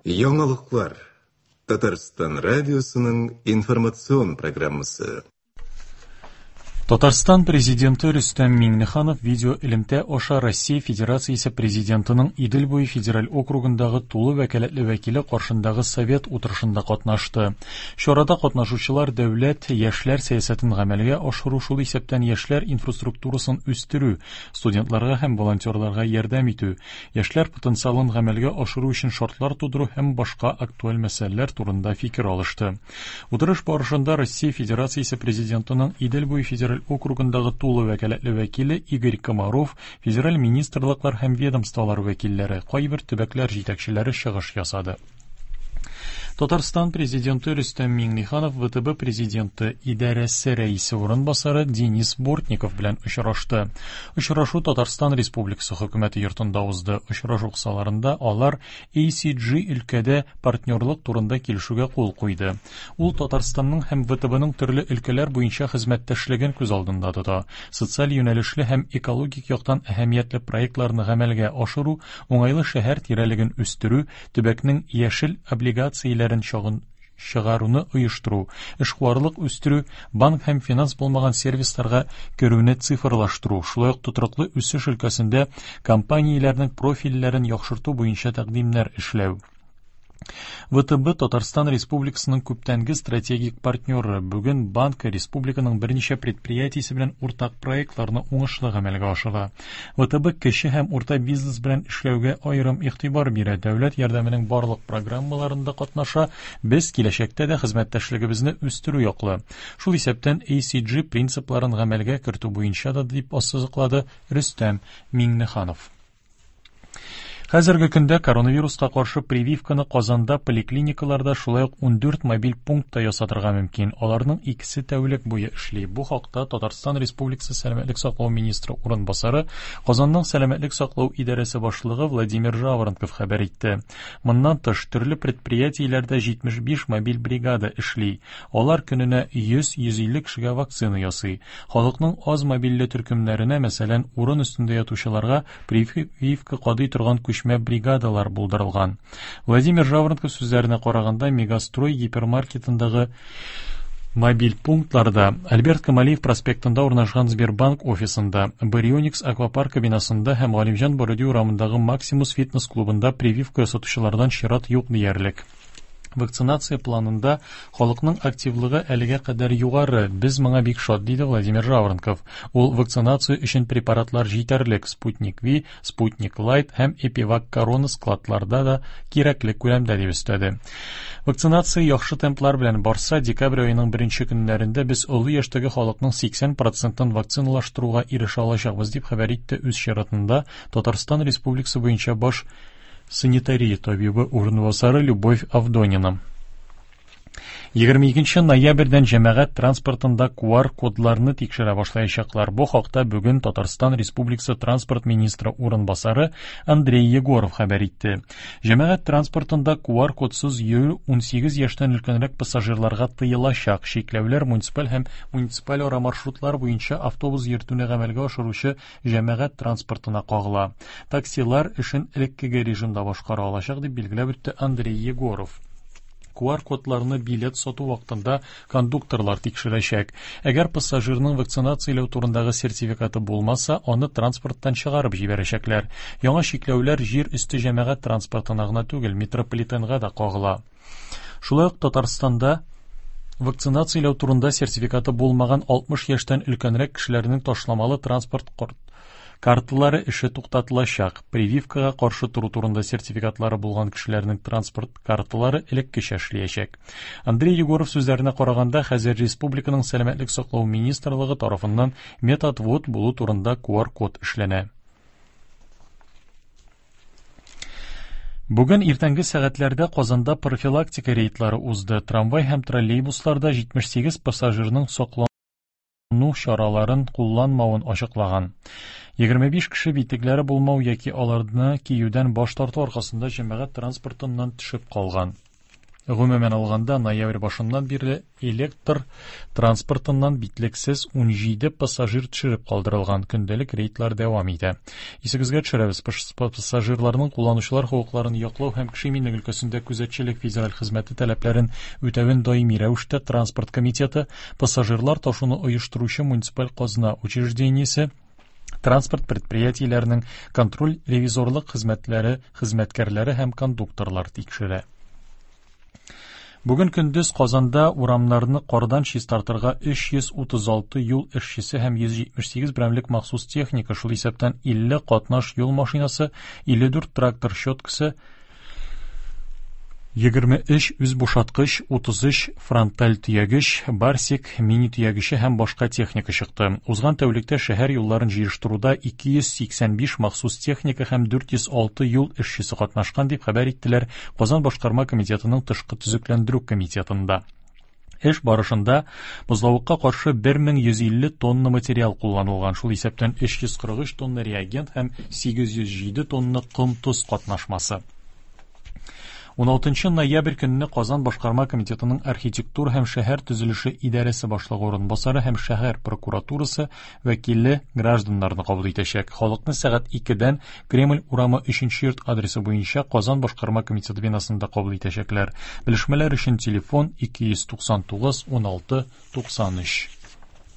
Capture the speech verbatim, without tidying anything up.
Яңалыклар. Татарстан радиосының информацион программасы. Татарстан президенты Рөстәм Миңнеханов видеоэлемтә аша Россия Федерациясе президентының Идел буе федераль округындагы тулы вәкаләтле вәкиле каршындагы совет утырышында катнашты. Чарада катнашучылар дәүләт яшьләр сәясәтен гамәлгә ашыру, шул исәптән яшьләр инфраструктурасын үстерү, студентларга һәм волонтерларга ярдәм итү, яшьләр потенциалын гамәлгә ашыру өчен шартлар тудыру һәм башка актуаль мәсьәләләр турында фикер алышты. Утырыш барышында Россия Федерациясе президентының Идел буе федераль округындагы тулы вәкаләтле вәкиле Игорь Комаров, федераль министрлыклар һәм ведомстволар вәкилләре, кайбер төбәкләр җитәкчеләре чыгыш ясады. Татарстан президенты Рөстәм Миңнеханов вэ тэ бэ президенты идарәсе рәисе урынбасары Денис Бортников белән очрашты. Очрашу Татарстан Республикасы хөкүмәте йортында узды. Очрашу кысаларында алар A C G өлкәдә партнерлык турында килешүгә кул куйды. Ул Татарстанның һәм вэ тэ бның төрле өлкәләр буенча хезмәттәшлеген күз алдында тота. Социаль юнәлешле һәм экологик яктан әһәмиятле проектларны гамәлгә ашыру, уңайлы шәһәр тирәлеген үстерү, төбәкнең яшел облигацияләрен чагын чыгаруны оештыру, эшкуарлык үстерү, банк һәм финанс булмаган сервисларга керүне цифрлаштыру, шулай ук тотрыклы үсеш өлкәсендә компанияләрнең профильләрен яхшырту буенча тәкъдимнәр эшләү. вэ тэ бэ Татарстан Республикасының күптәнге стратегик партнеры. Бүген банк республиканың берничә предприятиесе белән уртак проектларны уңышлы гамәлгә ашыра. вэ тэ бэ кече һәм урта бизнес белән эшләүгә аерым игътибар бирә. Дәүләт ярдәменең барлык программаларында катнаша. Без киләчәктә дә хезмәттәшлегебезне үстерү яклы. Шул исәптән A C G принципларын гамәлгә кертү буенча да, дип ассызыклады Рөстәм Миңнеханов. Хәзерге көндә коронавируска каршы прививканы Казанда поликлиникаларда, шулай ук ундүрт мобиль пунктта ясатырга мөмкин. Аларның икесе тәүлек буе эшли. Бу хакта Татарстан Республикасы сәламәтлек саклау министры урынбасары, Казанның сәламәтлек саклау идарәсе башлыгы Владимир Жаворонков хәбәр итте. Моннан тыш, төрле предприятиеләрдә җитмеш биш мобиль бригада эшли. Алар көненә йөз-йөз илле кешегә вакцина ясый. Халыкның аз мобильле төркемнәренә, мәсәлән, урын өстендә ятучыларга прививка кадый торган күчмә бригадалар булдырылган. Владимир Жаворонков сүзләренә караганда, Мегастрой гипермаркетындагы мобиль пунктларда, Альберт Камалиев проспектында урнашкан Сбербанк офисында, Барионикс аквапаркы бинасында һәм Галимҗан Баруди урамындагы Максимус фитнес клубында прививка ясатучылардан чират юк диярлек. Вакцинация планында халыкның активлыгы әлегә кадәр югары. Без моңа бик шат, диде Владимир Жаворонков. Ул вакцинация өчен препаратлар җитәрлек, Спутник V, Спутник Лайт һәм Эпивак Корона складларда да кирәкле күләмдә, дип өстәде. Вакцинация яхшы темплар белән барса, декабрь аеның беренче көннәрендә без олы яшьтәге халыкның сиксән процентын вакциналаштыруга ирешә алачакбыз, дип хәбәр итте үз чиратында Татарстан Республикасы буенча баш санитария табибы урынбасары Любовь Авдонина. Егерме икенче ноябрьдән җәмәгать транспортында Q R кодларны тикшерә башлаячаклар. Бу хакта бүген Татарстан Республикасы транспорт министры урынбасары Андрей Егоров хәбәр итте. Җәмәгать транспортында Q R кодсыз йөрү унсигез яшьтән өлкәнрәк пассажирларга тыелачак. Чикләүләр муниципаль һәм муниципаль ара маршрутлар буенча автобус йөртүне гамәлгә ашыручы җәмәгать транспортына кагыла. Таксилар эшен элеккеге режимда башкара алачак, дип билгеләп үтте Андрей Егоров. Q R кодларны билет сату вакытында кондукторлар тикшерәчәк. Әгәр пассажирның вакцинацияләү турындагы сертификаты булмаса, аны транспорттан чыгарып җибәрәчәкләр. Яңа чикләүләр җир өсте җәмәгать транспортына гына түгел, метрополитенга да кагыла. Шулай ук Татарстанда вакцинацияләү турында сертификаты булмаган алтмыш яшьтән өлкәнрәк кешеләрнең ташламалы транспорт карталары эше туктатылачак. Прививкага каршы тору турында сертификатлары булган кешеләрнең транспорт карталары элеккечә эшләячәк. Андрей Егоров сүзләренә караганда, хәзер республиканың сәламәтлек саклау министрлыгы тарафыннан методвод булу турында Q R код эшләнә. Бүген иртәнге сәгатьләрдә Казанда профилактика рейдлары узды. Трамвай һәм троллейбусларда җитмеш сигез пассажирның саклану чараларын кулланмавын ачыклаган. Егерме биш кеше битлекләре булмау яки аларны киюдән баш тарту аркасында җәмәгать транспортыннан төшеп калган. Гомумән алганда, ноябрь башыннан бирле электр транспортыннан битлексез унҗиде пассажир төшереп калдырылган. Көндәлек рейдлар дәвам итә. Исегезгә төшерәбез, пассажирларның кулланучылар хокукларын яклау һәм кеше иминлеге өлкәсендә күзәтчелек федераль хезмәте таләпләрен үтәвен даими рәвештә транспорт комитеты, пассажирлар ташуны оештыручы муниципаль казна учреждениесе, транспорт предприятиеләренең контроль-ревизорлык хезмәтләре хезмәткәрләре һәм кондукторлар тикшерә. Бүген көндез Казанда урамнарны кардан чистартырга өч йөз утыз алты юл эшчесе һәм йөз җитмеш сигез берәмлек махсус техника, шул исәптән илле катнаш юл машинасы, илле дүрт трактор щеткасы, егерме өч үзбушаткыч, утыз өч фронталь төягеч, барсик, мини төягече һәм башка техника чыкты. Узган тәүлектә шәһәр юлларын җыештыруда ике йөз сиксән биш махсус техника һәм дүрт йөз алты юл эшчесе катнашкан, дип хәбәр иттеләр Казан башкарма комитетының тышкы төзекләндерү комитетында. Эш барышында бозлавыкка каршы бер мең йөз илле тонна материал кулланылган, шул исәптән өч йөз кырык өч тонна реагент һәм сигез йөз җиде тонна ком-тоз катнашмасы. Уналтынчы ноябрь көнне Казан башкарма комитетының архитектура һәм шәһәр төзелеше идарәсе башлыгы урынбасары һәм шәһәр прокуратурасы вәкиле гражданнарны кабул итәчәк. Халыкны сәгать икедән Кремль урамы өченче йорт адресы буенча Казан башкарма комитеты бинасында кабул итәчәкләр. Белешмәләр өчен телефон ике йөз туксан тугыз уналты туксан өч.